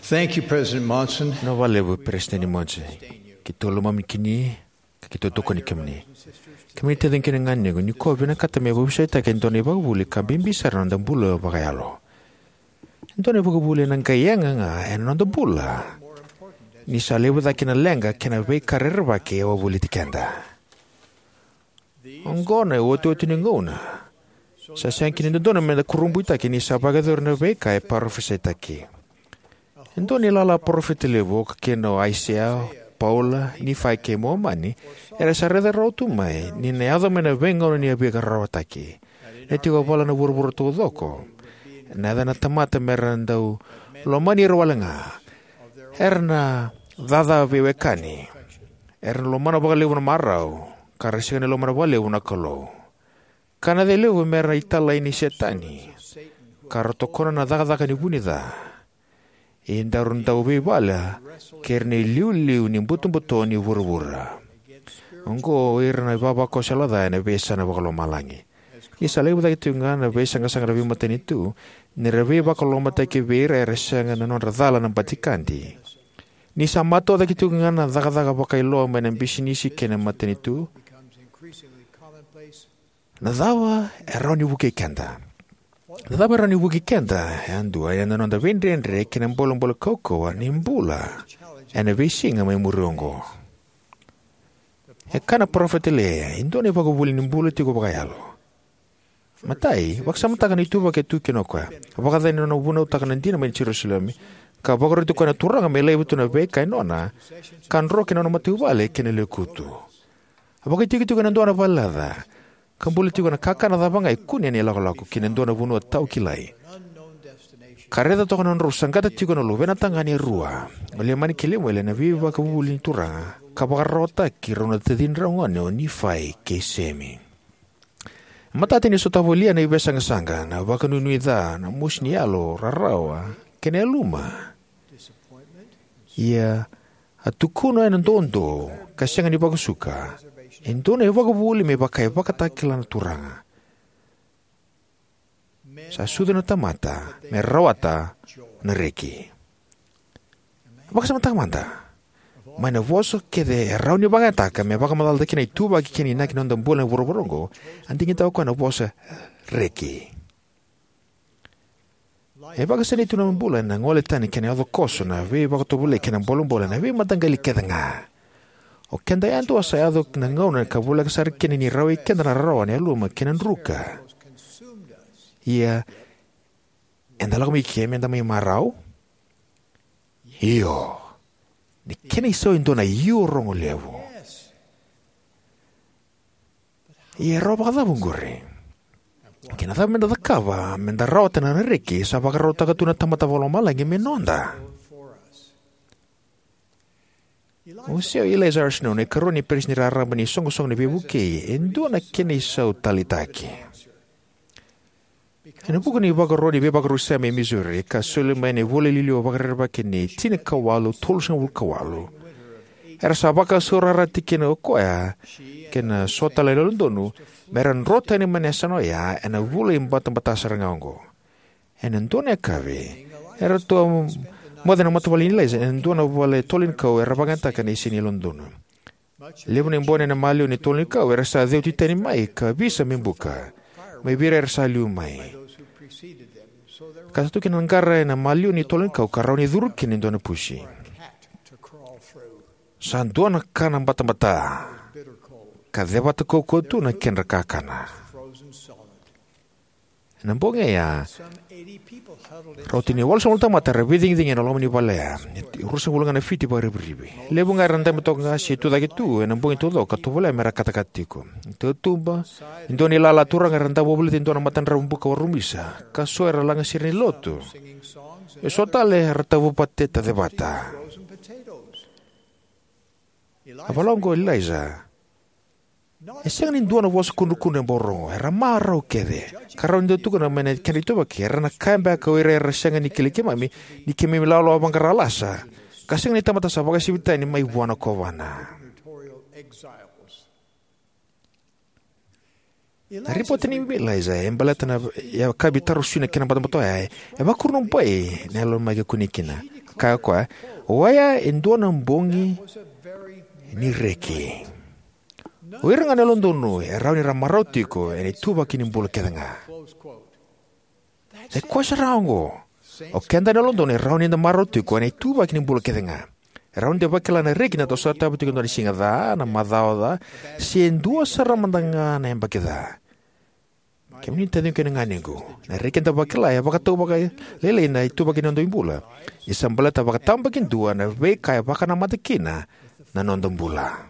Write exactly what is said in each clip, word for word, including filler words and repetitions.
Thank you, President Monson. Na vakalevu Peresitedi Monson. Keitou lomani kemuni, ka keitou tokoni kemuni. Kemuni taciqu kei na ganequ, nikua au vinakata meu veivusaitaka e dua na ivakavuvuli ka bibi sara ena noda bula vakayalo. E dua na ivakavuvuli ena qai yaga ga ena noda bula, ni sa levu cake na leqa kei na veika rerevaki e wavoliti keda. Oqo na iotioti ni gauna. Sa sega kina ni dodonu meda kurabuitaka ni sa vakayacori na veika e parofisaitaki. E dua na ilala parofita levu, oka kina o Aisea, Paula, Nifai kei Momani, era sa raica rawa tu mai ni na yaco mai na veigauna ni a veika rarawataki. Na tiko e vala na vuravura taucoko, na yaca na tamata mera dau lomani ira wale ga. Era na caca veiwekani. Era na lomana vakalevu na marau, ka ra sega ni lomana vakalevu na Kalou. Ka na yaco levu mera italai ni Setani, ka ra tokona na cakacaka ni vunica. E daru dau veivala kei ira na iliuliu ni butobuto ni vuravura. Oqo o ira na ivavakoso yalo ca ena veiyasana vakalomalagi. Ni sa levu cake tiko ga na veisaqasaqa na veimatanitu, ni ra veivakalolomataki vei ira era sega na nodra cala na batikadi. Ni sa matua cake tiko ga na cakacaka vakailoa mai na bisinisi kei na matanitu. Na cava e rawa ni vukei keda? Na cava e rawa ni vukei keda yadua ena noda veidredre kei na bolebole kaukauwa ni bula ena veisiga mai muri oqo? E kaya na parofita Liai, e dua na ivakavuvuli ni bula tiko vakayalo. Matai, vakasamataka na ituvaki e tu kina o koya. Vakacacani na nona vunautaka na dina mai Jerusalemi, ka vakaroti koya na Turaga me laiva tu na veika e nona, ka dro ki na nona matavuvale kei na lekutu. A vakaitikotiko ena dua na valelaca, ka bula tiko ena kakana cava ga e kune ena ilakolako ki na dua na vanua tawakilai. Ka raica toka na nodrau saqata tiko na luvena tagane e rua, o Leimani kei Lemueli, ena veivakavuvuli ni Turaga, ka vakararawataki rau na tacidrau gone o Nifai kei Semi. Matata ni sotava o Liai na veisaqasaqa, na vakanuinui ca, na mosi ni yalo, rarawa, kei na yaluma. Ia, a tukuna ena doudou ka sega ni vakasuka, e dua na ivakavuvuli me vaka e vakatakila na Turaga. Sa sucu na tamata me rawata na reki. Vakasamataka mada. Mai na vosa kece e rawa ni vakayagataka me vakamacalataki na ituvaki kei na inaki ni noda bula ena vuravura oqo, a digitaka o koya na vosa reki. E vakasinaiti tu na bula ena gole tani kei na yaco koso, na veivakatovolei kei na bolebole ena veimataqali kece ga. O keda yadua sa yaco na gauna ka voleka sara kina ni rawai keda na rarawa, na yaluma kei na druka. Ia, eda lako mai ke meda mai marau? Io. Ni kena isau e dua na io rogo levu. Ia e rawa vakacava oqori? Kei na cava meda cakava meda rawata na reki sa vakarautaka tu na Tamada Vakalomalagi me noda? O Eliza R. Snow, na ikarua ni peresitedi raraba ni iSoqosoqo ni Veivukei, e dua na kena isau taleitaki. Ena vuku ni ivakaro ni veivakarusai mai Missouri, ka soli mai na ivola liliwa vakarerevaki ni tinikawalu tolusagavulu ka walu, era sa vakasaurarataki kina o koya kei na so tale na yalododonu me ra dro tani mai na yasana oya ena vula ibatabata sara ga oqo. Ena dua na yakavi, eratou a moce na matavuvale nei Eliza ena dua na vale tolo ni kau era vakayagataka na isini yalododonu. Levu na ibono ena maliwa ni tolo ni kau era sa ceuti tani mai ka visa me buka mai vei ira era sa liu mai. Ka sa tu kina na qara ena maliwa ni tolo ni kau ka rawa ni curu kina e dua na pusi. Sa dua na kana batabata, ka cevata kaukauwa tu na kedra kakana. Ena bogi oya, rauta ni walusagavulu na tamata era veicigicigi ena loma ni vale ya. Ruasagavulu ga na fiti vakarivirivi. Levu ga era dabe toka ga se tucake tu ena bogi taucoko ka tovolea me ra katakata tiko. Tautuba, e dua na ilala turaga era dau wavolita e dua na matadravu buka warumisa, ka so era lagasere ni lotu. E so tale era tavu pateta cevata. A vola oqo o Eliza. E sega ni dua na vosa kudrukudru e bau rogo, era marau kece. Ka rawa ni dau tukuna mai na kedra ituvaki, era na kaya beka o ira era sega ni kilai keimami, ni keimami lawalawa vaqara lasa, ka sega ni tamata sa vakasivitani mai vua na kovana. Na ripote nei Eliza e baleta na yakavi tarasui na kena batabata oya e vakurabui na yalo mai ka kune kina. Kaya o koya, oya e dua na bogi ni reki. O ira ga na yalododonu e rawa ni ra marau tiko ena ituvaki ni bula kece ga. E koya sara oqo. O keda na yalododonu e rawa ni da marau tiko ena ituvaki ni bula kece ga. E rawa ni da vakila na reki ni da sotava tiko e dua na siga ca, na macawa ca, se dua sara mada ga na yabaki ca. Kemuni na taciqu kei na ganequ, na reki eda vakila e vakatau vakalailai na ituvaki ni noda bula. Ni sa baleta vakatabakidua na veika e vakanamata kina na noda bula.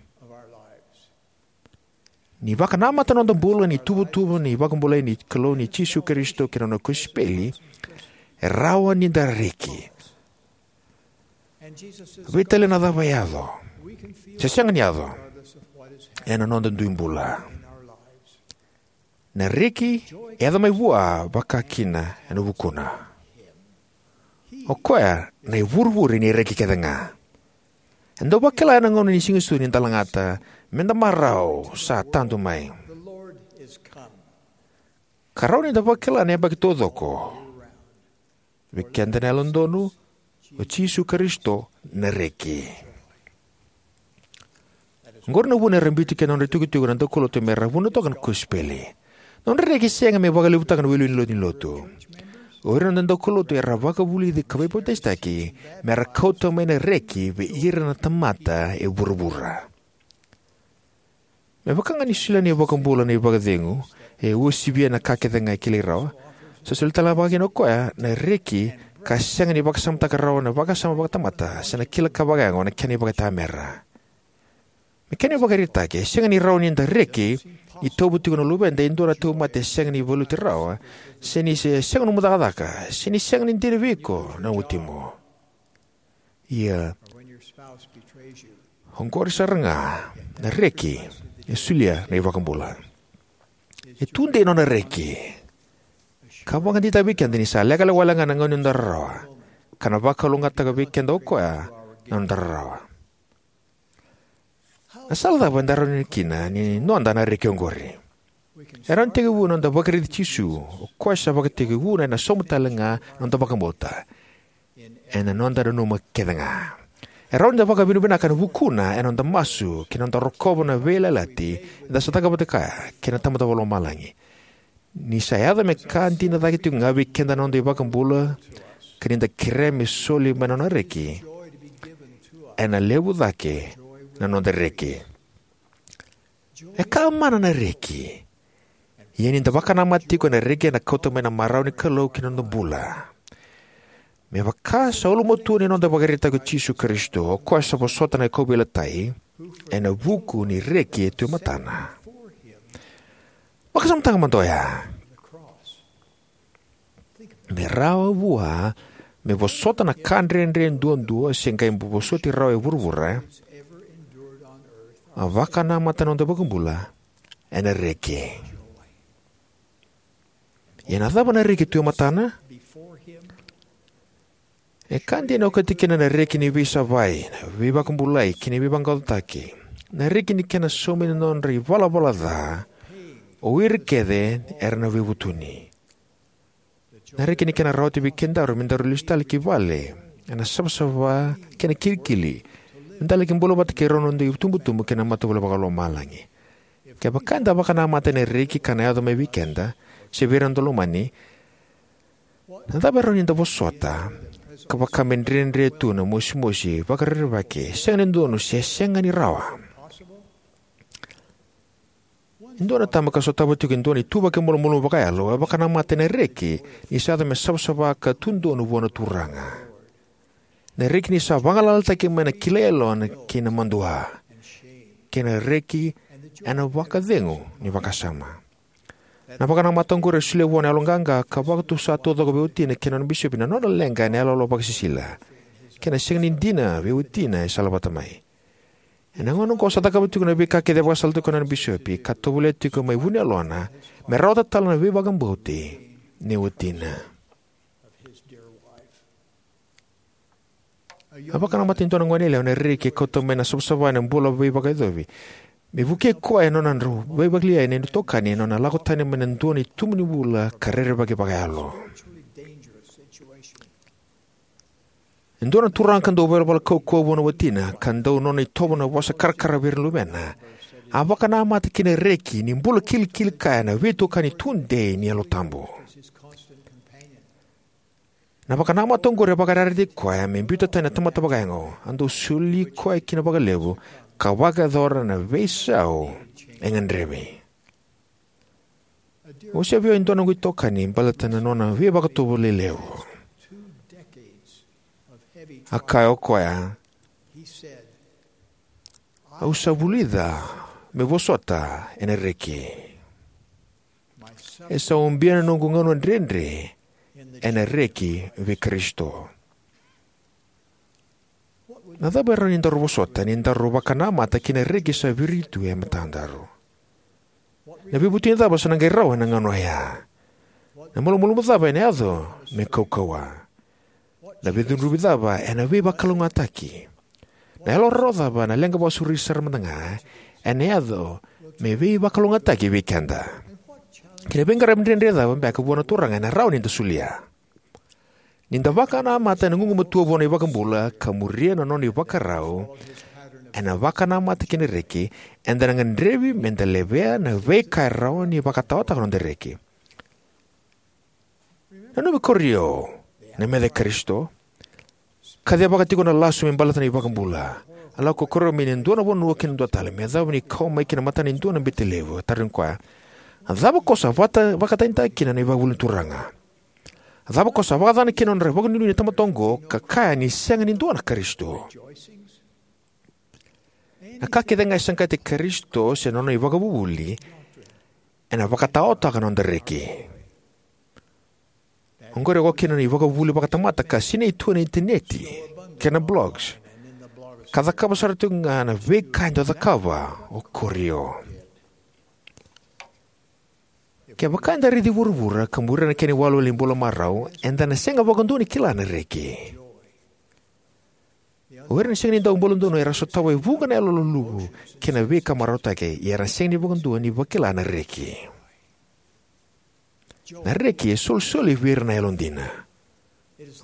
Ni vakanamata na noda bula ni tuvatuva ni vakabulai ni Kalou ni Jisu Karisito kei na nona kosipeli, e rawa ni da reki. Veitalia na cava e yaco, se sega ni yaco, ena noda dui bula. Na reki e yaco mai vua vakakina ena vukuna. O koya na ivurevure ni reki kece ga. Eda dau vakila ena gauna ni Siga Sucu ni da lagata, meda marau, sa tadu mai. Ka rawa ni da vakila na yabaki taucoko. Vei keda na yalododonu, o Jisu Karisito na reki. Oqori na vuna era biuti kina na nodra itikotiko na daukaulotu mera vunautaka na kosipeli. Na nodra reki e sega me vakalevutaka na iwiliwili ni lotu ni lotu. O ira na noda daukaulotu era vakavulici ka veipapitaisotaki mera kauta mai na reki vei ira na tamata e vuravura. Me vaka ga ni solia na iVakabula na ivakacegu, e uasivia na ka kece ga e kilai rawa, sa solia tale ga vakakina o koya na reki ka sega ni vakasamataka rawa na vakasama vakatamata se na kila ka vakayago na kena ivakaitamera. Me kena ivakaraitaki, e sega ni rawa ni da reki ni tauva tiko na luveda e dua na tauvimate e sega ni valuti rawa, se ni se sega nomu cakacaka, se ni sega ni dina vei iko na watimu. Ia, oqori sara ga na reki e solia na iVakabula. E tudei nona reki ka vakadeitaka vei keda ni sa lekaleka wale ga na gauna ni noda rarawa, ka na vakalougatataka vei keda o koya na noda rarawa. Na sala cava eda rawa ni kina ni noda na reki oqori? E rawa ni tekivu ena noda vakaraici Jisu, o koya sa vakatekivuna ena sauma tale ga na noda vakabauta, ena noda nanuma kece ga. E rawa ni da vakavinavinaka ena vukuna ena noda masu kei na noda rokova na veiyalayalati eda sa cakava vata kaya kei na Tamada Vakalomalagi. Ni sa yaco me ka dina cake tiko ga vei keda na noda iVakabula, ka ni da kerea me soli mai na nona reki, ena levu cake na noda reki. E ka mana na reki. Ia ni da vakanamata tiko ena reki ena kauta mai na marau ni Kalou ki na noda bula. Me vaka sa ulumatua ni noda ivakaraitaki o Jisu Karisito, o koya sa vosota na kauveilatai ena vuku ni reki e tu e matana. Vakasamataka mada oya. Me rawa vua me vosota na ka dredre duadua se qai vosoti rawa e vuravura, a vakanamata na noda iVakabula ena reki. Ia na cava na reki tu e matana? E ka dina e okati kina na reki ni veisavai, na veivakabulai kei na veivaqaqacotaki. Na reki ni kena saumi na nodra ivalavala ca o ira kece era na veivutuni. Na reki ni kena rawati vei kedaru me daru lesu tale ki vale ena savasava kei na kilikili, me da laki bula vata kei rau na noda itubutubu kei na matavuvale vakalomalagi. Kevaka eda vakanamata ena reki ka na yaco mai vei keda se vei ira na noda lomani, na cava e rawa ni da vosota ka vaka me dredre tu na mosimosi, vakarerevaki, sega ni dodonu se sega ni rawa? E dua na tama ka sotava tiko e dua na ituvaki malumalumu vakayalo e vakanamata ena reki ni sa yaco me savasava ka tu donu vua na Turaga. Na reki ni sa vagalalataki mai na kilai yalona kei na madua, kei na reki ena vakacegu ni vakasama. Na vakanamata oqori e solia vua na yaloqaqa ka vakatusa taucoko vei watina kei na nona bisopi na nona leqa ena iyaloyalo vakasisila, kei na sega ni dina vei watina e salavata mai. Ena gauna oqo sa cakava tiko na veika kece e vakasalataki koya na nona bisopi, ka tovolea tiko mai vu ni yalona me rawata tale na veivakabauti nei watina. A vakanamata e dua na goneyalewa ena reki e kauta mai na savasava ena bula veivakayacovi, me vukei koya ena nona drau veivakalialiai na itokani ena nona lako tani mai na dua na itubu ni bula ka rerevaki vakayalo. E dua na turaga ka dau ivalavala kaukauwa vua na watina, ka dau nona itovo na vosa karakara vei ira na luvena, a vakanamata ki na reki ni bula kilikili kaya na veitokani tudei ni Yalo Tabu. Na vakanamata oqori e vakayarayarataki koya me biuta tani na tamata vakayago, a dau soli koya kina vakalevu, ka vakayacora na veisau e gadrevi. Au se via e dua noqu itokani baleta na nona veivakatovolei levu. A kaya o koya, "Au sa vulica meu vosota ena reki. E sa ubia na noqu gauna dredre ena reki vei Karisito." Na cava e rawa ni daru vosota ni daru vakanamata ki na reki sa viritu e matadaru? Na veivutuni cava sa na qai rawa ena gauna oya? Na malumalumu cava ena yaco me kaukauwa? Na veicudruvi cava ena veivakalougatataki? Na yalo rarawa cava, na leqa vakasauri sara mada ga, ena yaco me veivakalougatataki vei keda? Kei na veiqaravi dredre cava beka vua na Turaga ena rawa ni da solia? Ni da vakanamata ena gugumatua vua na iVakabula ka muria na nona ivakarau ena vakanamata ki na reki, eda na gadrevi me da levea na veika e rawa ni vakataotaka na noda reki. Nanumi Korio, na meca i Karisito, kacivaka tiko na lasu me baleta na iVakabula. A lako ko Korio mai na dua na vanua ki na dua tale, me yacova ni kau mai ki na matana e dua na bete levu. A tarogi koya, "A cava ko sa vata-, vakatanitaka kina na ivakavuvuli ni Turaga? A cava ko sa vakacacana kina na nodra vakanuinui na tamata oqo, ka kaya ni sega ni dua na Karisito?" Na ka kece ga e saqati Karisito se na nona ivakavuvuli ena vakataotaka na noda reki. Oqori e oka kina na ivakavuvuli vakatamata ka sinai tu ena initaneti kei na blogs, ka cakava sara tiko ga na veika e dau cakava o Korio. Kevaka eda raici vuravura ka muria na kena iwalewale ni bula marau, eda na sega vakadua ni kila na reki. O ira na sega ni dau buladodonu era sotava e vuqa na yaloluluvu kei na veika marautaki, ia era sega ni vakadua ni vakila na reki. Na reki e solisoli vei ira na yalodina.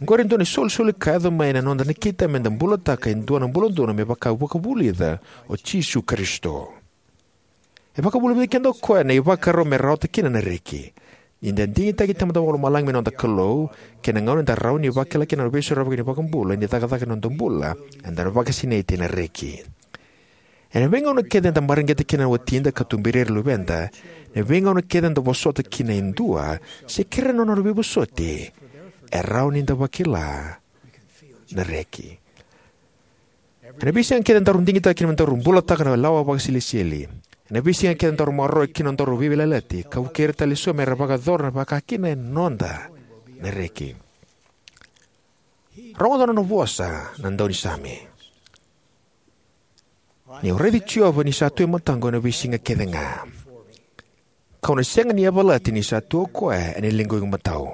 Oqori e dua na isolisoli ka yaco mai na noda nakita me da bulataka e dua na buladodonu me vaka e vakavulica o Jisu Karisito. E vakavulica vei keda o koya na ivakarau me rawata kina na reki. Ni da digitaki Tamada Vakalomalagi me noda Kalou, kei na gauna eda rawa ni vakila kina na veisorovaki ni iVakabula ni cakacaka ena noda bula, eda na vakasinaiti ena reki. Ena veigauna kece eda mareqeta kina na watida ka tuberi ira na luveda, ena veigauna kece eda vosota kina e dua se kerea na nodra veivosoti, e rawa ni da vakila na reki. Ena veisiga kece daru digitaka kina me daru bulataka na lawa vakasilesitieli, ena veisiga kece daru maroroya kina nodaru veiyalayalati ka vukei ira tale eso me ra vakayacora na vakakina, e noda na reki. Rogoca na nona vosa na daunisame: "Niu raici Jiova ni sa tu e mataqu ena veisiga kece ga, kau na sega ni yavalati ni sa tu o koya ena liqu imatau.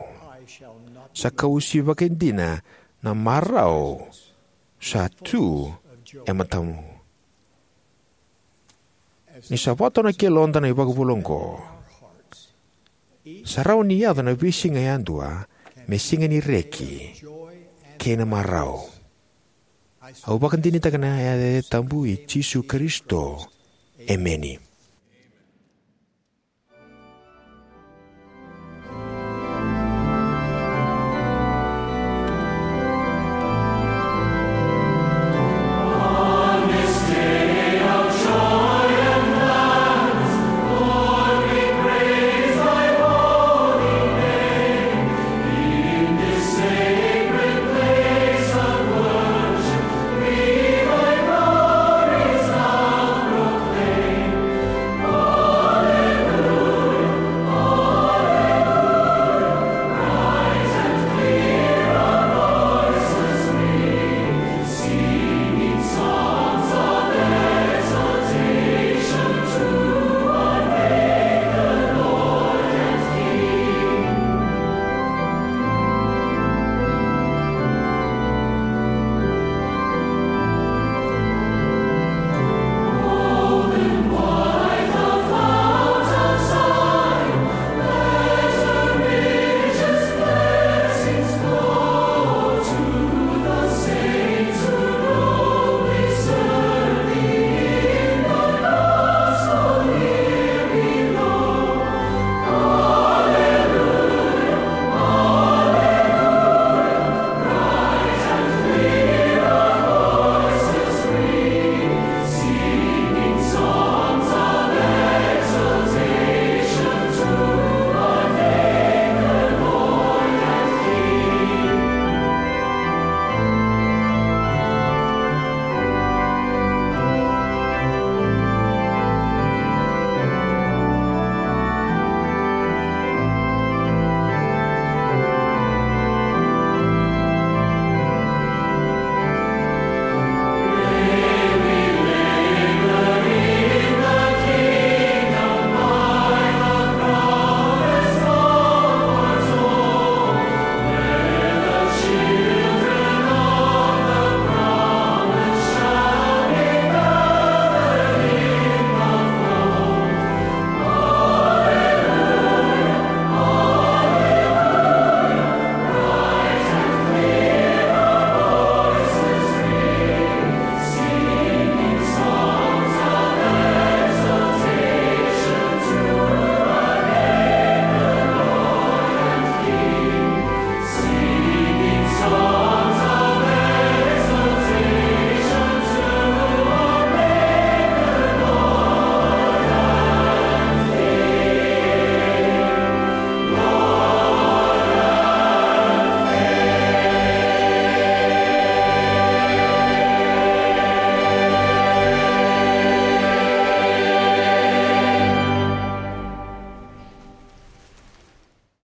Sa kau uasivaka dina na marau sa tu e matamu." Ni sa vakatau na yaloda na ivakavuvuli oqo, sa rawa ni yaco na veisiga yadua me siga ni reki kei na marau. Au vakadinadinataka ena yaca tabu i Jisu Karisito, emeni.